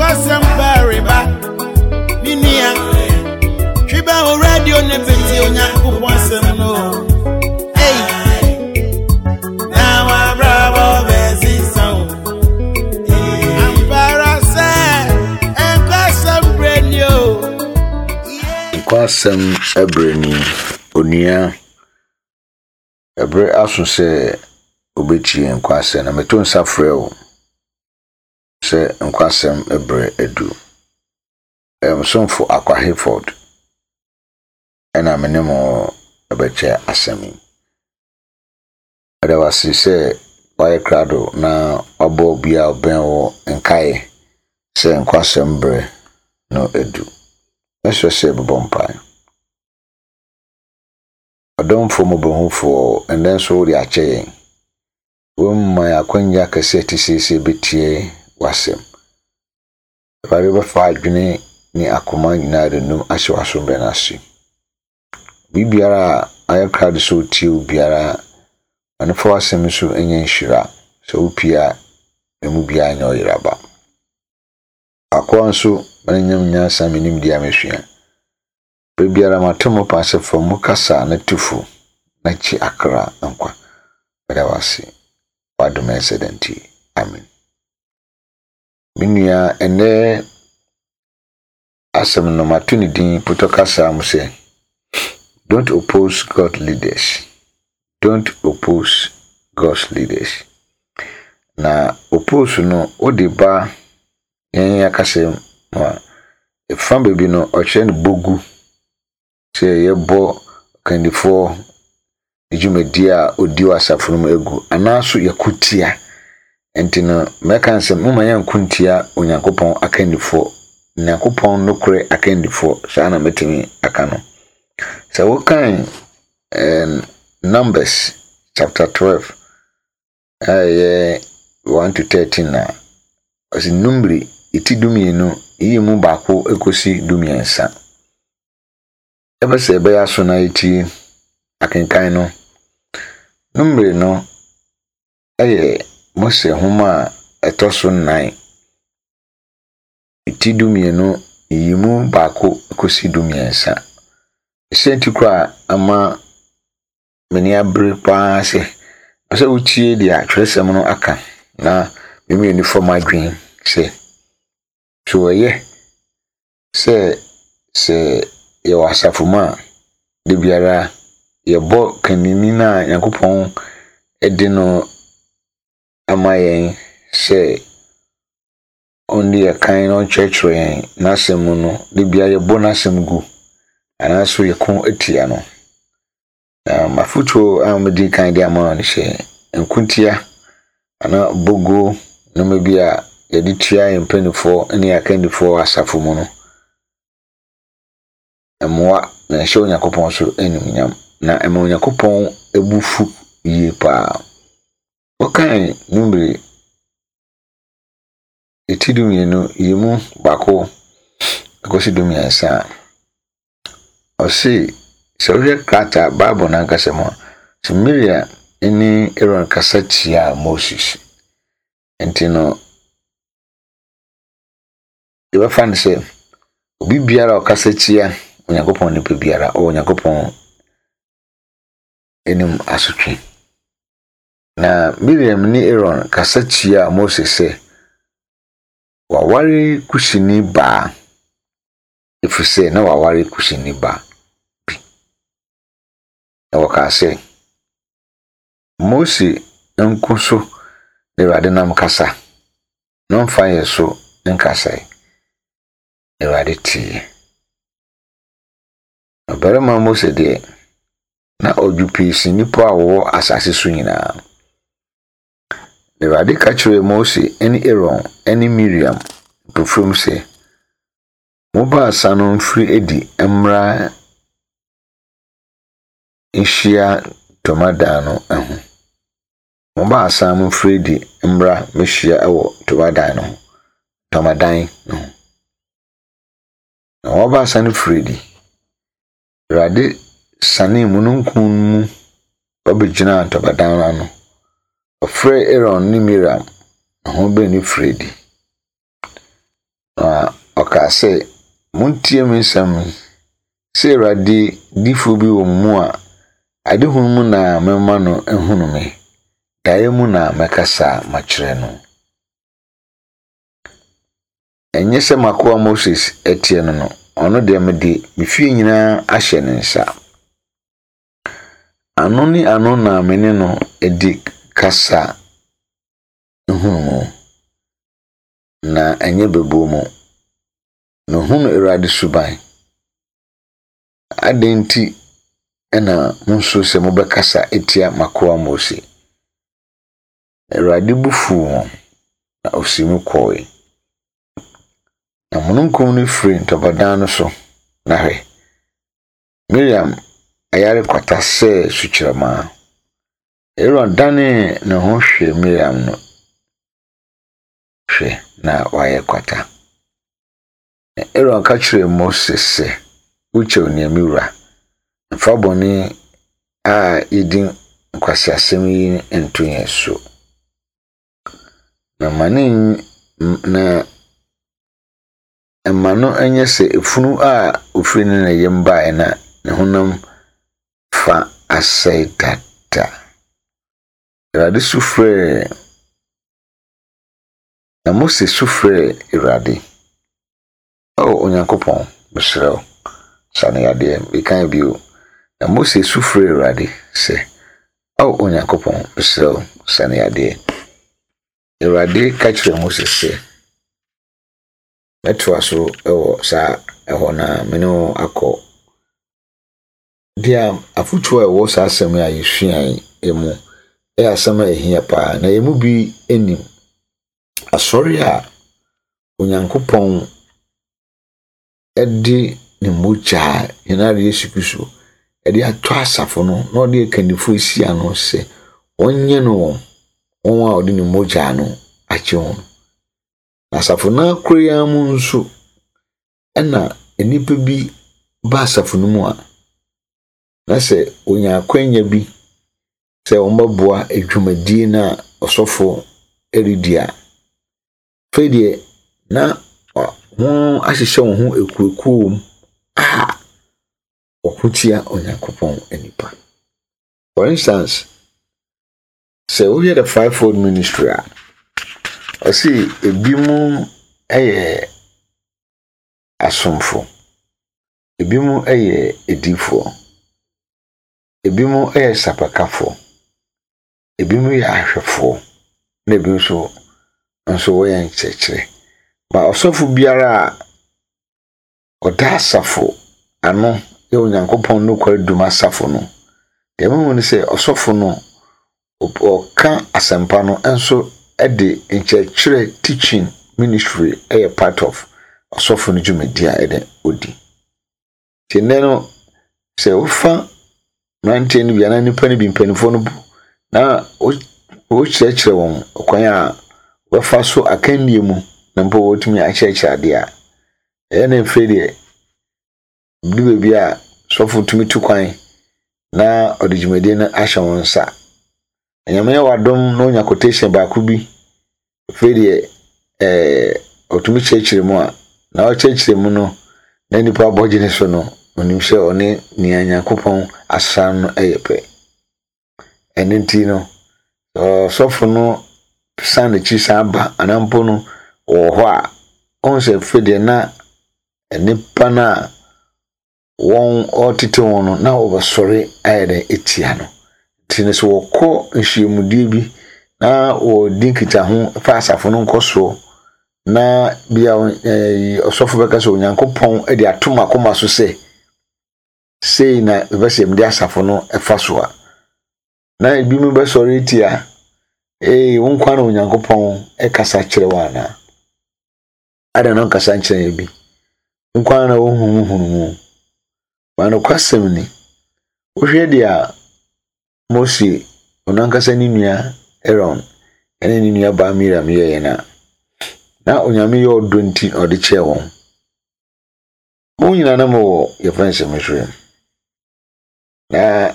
Nkwasɛm pareba, me nua. Twi bɛ wo radio ne bɛtie Onyankopɔn asɛm no. Ei, na wabrabɔ bɛsesa o. Ampa ara sɛ nkwasɛm berɛ ni o. Nkwasɛm berɛ ni, onua. Ɛberɛ aso sɛ wobɛtie nkwasɛm na meto nsa frɛ wo sɛ nkwasɛm berɛ adu. Ɛyɛ mo somfo Akwa Hayford ɛna me ne mo ɛbɛkyɛ asɛm yi. Meda wo ase sɛ woayɛ krado na wabɔ obi a ɔbɛn wo nkaeɛ sɛ nkwasɛm berɛ no adu. Mɛsrɛ sɛ bɛbɔ mpae. Ɔdomfoɔ mmɔborɔhufoɔ, ɛnnɛ nso wode akyɛ yɛn. Womma yɛn akwanya kɛse a ɛte sei sɛ yɛbɛtie w'asɛm. Awurade bɛfa adwene ne akoma nyinaa de num ahyɛ w'asomdwoeɛ no ase. Biribiara a ayɛ krado sɛ ɔtie wo biara, ma no fa w'asɛm so nyɛ nhyira. Sɛ wopie a, emu biara nyɛ ɔyeraba. Akoa nso, ma no nyam nyansa me nimdeɛ a mesua. Bere biara mato mo pon ase fa mu kasa na tu fo na kyi akra nkwa. Meda wo ase. W'adom ɛnsɛ da nti. Amen. Me nua, ɛnɛ asɛm no mato ne din potɔ kasa mu sɛ Don't oppose God leaders. Don't oppose God's leaders. Na oppose no wode ba yɛn akasa mu a, ɛfa baabi no ɔkyerɛ no bogu sɛ yɛbɔ ɔkandifoɔ ne dwumadie a ɔdi wɔ asafo no mu agu anaaso yɛko tia. Nti no mɛka sɛ momma yɛnko ntia Onyankopɔn akandifoɔ, Onyankopɔn nokorɛ akandifoɔ, saa na mɛtumi aka no. Sɛ wokan eh, Numbers chapter 12 a ɛyɛ 1 to 13 a, ɔsi Numeri ti 12 yi mu baako kɔsi 13. Ɛbɛ sɛ ɛbɛyɛ aso na yɛtie akenkan no. Numeri no yɛ Mose nhoma a ɛtɔ so nnan, ti 12 yi mu baako kɔsi 13. Sɛ nti koraa ama m'ani abere paa sɛ sɛ wotie deɛ atwerɛsɛm no aka na me mmienu fam adwene sɛ so ɛyɛ sɛ sɛ yɛwɔ asafo mu a da biara yɛbɔ kanini no a Nyankopɔn de no ama yɛn sɛ ɔnni yɛn kan na ɔnkyerɛkyerɛ yɛn n'asɛm mu no, da biara yɛbɔ n'asɛm gu anaasɛ yɛko tia no. Na m'afotuo a medi kan de ama no sɛ nkotia anaa boguo nneɛma bi a yɛde tua yɛn mpanimfoɔ ne yɛn akannifoɔ wɔ asafo mu no, mmoa na ɛhyɛ Onyankopɔn so animuonyam, na ɛma Onyankopɔn bo fu yie paa. Wokan Numeri ti 12 yi mu baako kɔsi 13 a, ɔse sɛ wohwɛ krataa Bible no ankasa mu a, sɛ Miriam ne Aaron kasa tiaa Moses. Nti no, yɛbɛfa no sɛ obi biara a ɔkasa tia Onyankopɔn nipa biara, ɔwɔ Onyankopɔn anim asotwe. Na Miriam ne Aaron kasa tiaa Mose sɛ, Waware Kusini baa, ɛfiri sɛ na waware Kusini ba bi. Na wɔkaa sɛ, Mose nko so na Awurade nam kasa, na ɔmfa yɛn so nkasae. Awurade teeɛ. Ɔbarima Mose deɛ, na ɔdwo pii sen nnipa a wɔwɔ asase so nyinaa. Na Awurade ka kyerɛɛ Mose ne Aaron ne Miriam mpofirim sɛ, Mo baasa no mfiri adi mmra nhyia ntomadan no ho. Mo baasa no mfiri adi mmra mmɛhyia wɔ ntomadan no ho. Ntomadan no ho. Na wɔn baasa no firii adi. Awurade sianee mununkum no mu ba bɛgyinaa ntomadan no ano. Ɔfrɛɛ Aaron ne Miriam, na wɔn baanu firii adi. Na ɔkaa sɛ, Montie me nsɛm yi, sɛ Awurade difoɔ bi wɔ mo mu a, adehunu mu na mɛma no ahunu me, daeɛ mu na mɛkasa makyerɛ no. Ɛnyɛ sɛ m'akoa Moses teɛ no no, ɔno deɛ mede me fie nyinaa ahyɛ ne nsa. Ano ne ano na me ne no di kasa nhunumu, na ɛnyɛ bebuo mu. Na ohunu Awurade suban. Adɛn nti na munsuro sɛ mobɛkasa atia m'akoa Mose? Awurade bo fuw wɔn, na osii mu kɔe. Na mununkum no firii ntɔbadan no so, na hwɛ, Miriam ayare kwata sɛ sukyerɛmma. Aaron danee ne ho hwɛɛ Miriam no, hwɛ, na wayɛ kwata. Na Aaron ka kyerɛɛ Mose sɛ, Wo kyɛw nea me wura, mfa bɔne a yedi nkwaseasɛm yi nto yɛn so. Na ma ne na mma no nyɛ sɛ efunu a ofiri ne na yam baeɛ na ne honam fa asɛe dada. Awurade su frɛɛ na Mose su frɛɛ Awurade. O Onyankopɔn, mesrɛ wo, sa no yadeɛ. Mekan bio. Na Mose su frɛɛ Awurade sɛ, Ao Onyankopɔn, mesrɛ wo, sa no yadeɛ. Awurade ka kyerɛɛ Mose sɛ, Mɛtoa so wɔ saa ɛhɔ no a me ne wo akɔ. Deɛ afotuo a ɛwɔ saa asɛm yi a yɛsua yi mu yɛ asɛm a ɛhia paa, na yɛn mu bi nim. Asɔre a Onyankopɔn de ne mogya a yɛn Awurade Yesu Kristo de atɔ asafo no na ɔde akannifoɔ asi ano sɛ wɔnyɛ no wɔn, wɔn a ɔde ne mogya no agye wɔn. Na asafo no ara koro yi ara mu nso, ɛna nnipa bi ba asafo no mu a, na sɛ wɔnya akwanya bi sɛ wɔbɛboa dwumadie no a ɔsɔfo redi a, afei deɛ na wɔahyehyɛ wɔn ho akuokuo wɔ mu a wɔko tia Onyankopɔn nnipa. For instance, Sɛ wohwɛ The Fivefold Ministry a, ɔse ebinom yɛ asomfo, ebinom yɛ adiyifoɔ, ebinom yɛ sapakafoɔ, ebinom yɛ ahwɛfoɔ, na ebinom nso nso wɔyɛ nkyerɛkyerɛ. Ma ɔsɔfo biara a ɔda asafo ano yɛ Onyankopɔn nokware dum asafo no. Deɛ mehu ne sɛ ɔsɔfo no ɔka asɛmpa no nso de nkyerɛkyerɛ teaching ministry yɛ part of ɔsɔfo no dwumadi a ɛde odi. Nti nnɛ no sɛ wofa mmeranteɛ no bi anaa nnipa no bi mpanimfoɔ no bu na wokyerɛkyerɛ wɔn kwan a wɔbɛfa so akannie mu na mpo wɔtumi akyerɛkyerɛ adeɛ a, ɛyɛ na afei deɛ du baabi a sɔfo tumi tu kwan na ɔde dwumadie no ahyɛ wɔn nsa. Nyame yɛ wadom na onya quotation baako bi afei deɛ ɛɛ ɔtumi kyerɛkyerɛ mu a na ɔkyerɛkyerɛ mu no na nipa abɔ gye ne so no onim sɛ ɔne nea Nyankopɔn asra no yɛ pɛ. Ɛno nti no ɔsɔfo no san n'akyi san ba anaa mpo no wɔ hɔ a ɔhu sɛ afei deɛ na nnipa no a wɔretete wɔn no na wɔbɛsɔre ayɛ dɛ atia no. Nti no sɛ wɔkɔ nhyiamudie bi na wɔredi nkitaho fa asafo no nkɔsoɔ na bia ɔsɔfo bɛka sɛ Onyankopɔn de ato m'akoma so sɛ sei na mepɛ sɛ mede asafo no fa so a, na ebinom bɛsɔre atia, ee, wo nkwa na Onyankopɔn kasa kyerɛ wo anaa? Adɛn na ɔnkasa nkyerɛ yɛn bi? Nko ara na wohu mu hunu mu. Ma nokwasɛm ni, wohwɛ deɛ a Mose, ɔno ankasa ne nua Aaron, ne ne nua baa Miriam yɛeɛ no a, na Onyame yɛ ɔdɔ nti na ɔde kyɛɛ wɔn. Mo nyinaa na mowɔ yɛfrɛ no sɛ Misraim. Na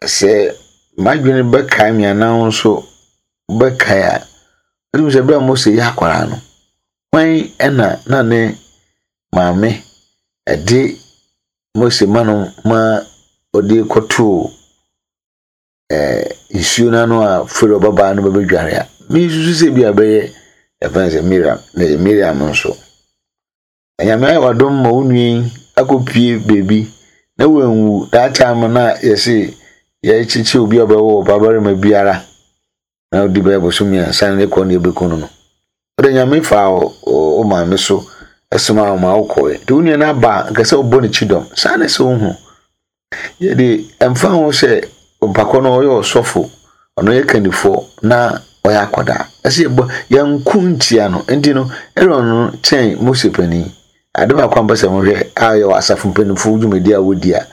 sɛ m'adwene bɛkae me anaa wo nso wobɛkae a, wonim sɛ berɛ a Mose yɛ akwadaa no, Hwan na na ne maame de Mose ma no ma ɔde kɔtoo ɛɛ nsuo no ano a Farao babaa no bɛbɛdware a? Mesusu sɛ bi a bɛyɛ yɛfrɛ no sɛ Miriam, na ɛyɛ Miriam nso. Nyame ayɛ w'adom ma wo nua yi akɔpue baabi na wanwu. That time no a yɛse yɛkyekye obi a ɔbɛwo ɔbabarima biara na ɔdi bɛyɛ bosom mmiɛnsa ne kɔ ne yɛbɛku no no. Wode Nyame faa wo maame so somaa wo ma wokɔe. Nti wo nua no aba a, nka sɛ wobɔ ne kyidɔm. Saa na ɛsɛ wohu. Yɛde ɛmfa ho sɛ mpakɔ no ɔyɛ ɔsɔfo, ɔno yɛ kandifoɔ na ɔyɛ akwadaa. Ɛsɛ yɛbɔ yɛnko ntia no. Nti no, Aaron no kyɛn Mose panin. Ade baako a mpɛ sɛ mohwɛ a yɛ wɔ asafo mpanimfoɔ dwumadi a wɔdi a,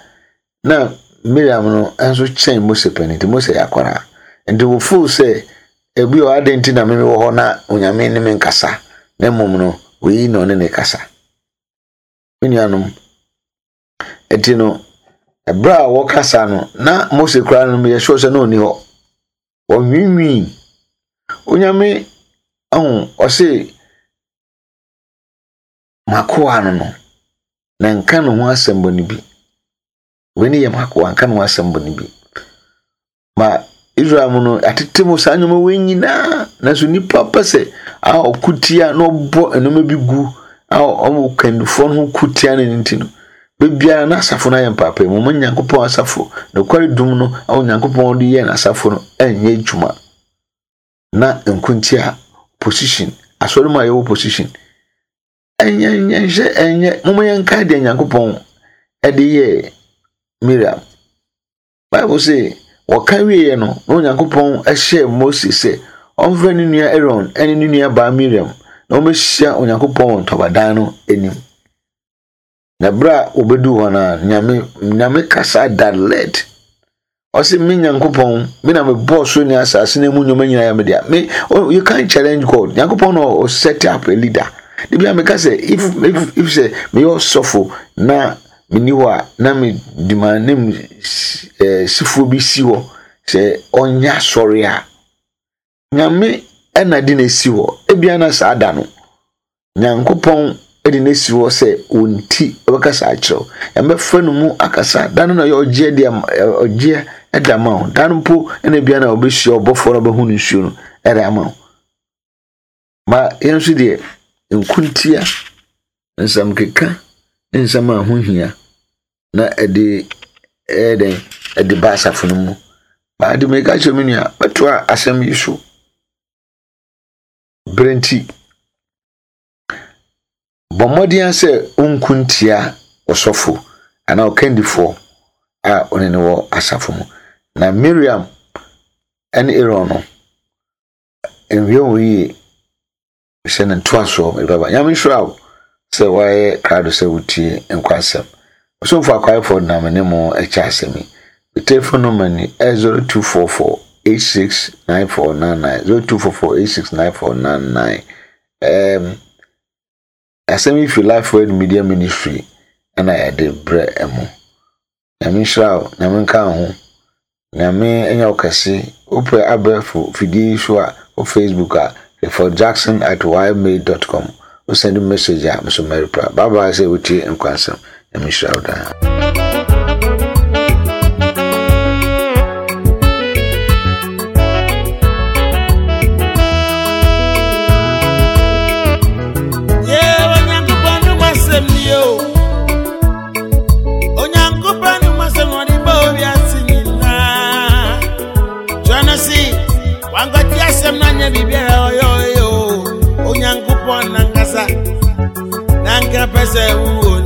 na Miriam no nso kyɛn Mose panin. Nti Mose yɛ akwadaa. Nti wɔfoo sɛ ebi wɔ adɛn nti na meme wɔ hɔ na Onyame ne me nkasa, na mmom no, wei na ɔne ne kasa. Me nuanom, Enti no, ɛberɛ a wɔkasa no, na Mose koraa no meyɛ sure sɛ na ɔnni hɔ. Wɔnwiinwii. Onyame, ɔho, ɔse, m'akoa no no, na nka ne ho asɛm bɔne bi. Wei ne yɛ m'akoa, nka ne ho asɛm bɔne bi. Ma Israel mu no, atete mu saa nneɛma wei nyinaa. Nanso nnipa pɛ sɛ a ɔko tia na ɔbɔ nneɛma bi gu a ɔmo kandifoɔ no ho ko tia no nti no, bebiara na asafo no ayɛ mpaapaemu. Mo Nyankopɔn asafo, nokware dum no a Onyankopɔn de yɛɛ n'asafo no ɛnyɛ adwuma. Na nkontia, position, asɔre mu a yɛwɔ position. Ɛnyɛ ɛnyɛ ɛnyɛ mo yɛnkae deɛ Nyankopɔn ɛde yɛɛ Miriam. Bible se, wɔka wieeɛ no, na Onyankopɔn hyɛɛ Mose sɛ ɔmfrɛ ne nua Aaron ne ne nua baa Miriam na wɔmmɛhyia Onyankopɔn wɔ ntɔbadan no anim. Na berɛ a wɔbɛduu hɔ no a, Nyame, Nyame kasa direct. Ɔse, me Nyankopɔn, me na mebɔɔ soro ne asase na emu nneɛma nyinaa yɛ me dea. Me, oh, you can't challenge God. Nyankopɔn na ɔ set up a leader. De bia meka sɛ, if sɛ meyɛ ɔsɔfo na Menni hɔ a, na mede m'ananmusifoɔ bi si hɔ sɛ ɔnyɛ asɔre a, Nyame na de no asi hɔ. Ebia na saa da no, Nyankopɔn de no asi hɔ sɛ wɔn ti ɔbɛkasa akyerɛ wo. Ɛbɛfa no mu akasa. Da no na ɔyɛ ɔgyeɛ de ɔgyeɛ de ama wo. Da no mpo na ebia na ɔbɛhyia ɔbɔfoɔ na ɔbɛhu no nsuo no de ama wo. Ma yɛn nso deɛ, nkontia, nsɛmkeka ne nsɛm a ɛho hia na ɛde ɛyɛ dɛn ɛde ba asafo no mu. Ade meka kyerɛ me nua, mɛtoa asɛm yi so. Berɛ nti, bɔ mmɔden ara sɛ wonko ntia ɔsɔfo anaa ɔkandifoɔ a ɔne no wɔ asafo mu. Na Miriam ne Aaron no, Nwie wo yie sɛ ne ntoasoɔ mede bɛba. Nyame nhyira wo sɛ woayɛ krado sɛ wotie nkwa asɛm. Ɔsomfo Akwaefoɔ na me ne mo kyɛ asɛm yi. Me telephone number ni 0244 869499 0244 869499. Um, Asɛm yi fi Life Word Media Ministry na yɛde brɛ mo. Nyame nhyira wo, Nyame nka wo ho, Nyame nyɛ wo kɛse. Wopɛ abɛɛfo fidie yi so a, wɔ Facebook a, cliffordjackson at ymail.com. Wo send message a, me so mɛreply. Bye bye sɛ wotie nkwansɛm. Nyame nhyira wo daa. Onyankopɔn nankasa na nka pɛ sɛ wo.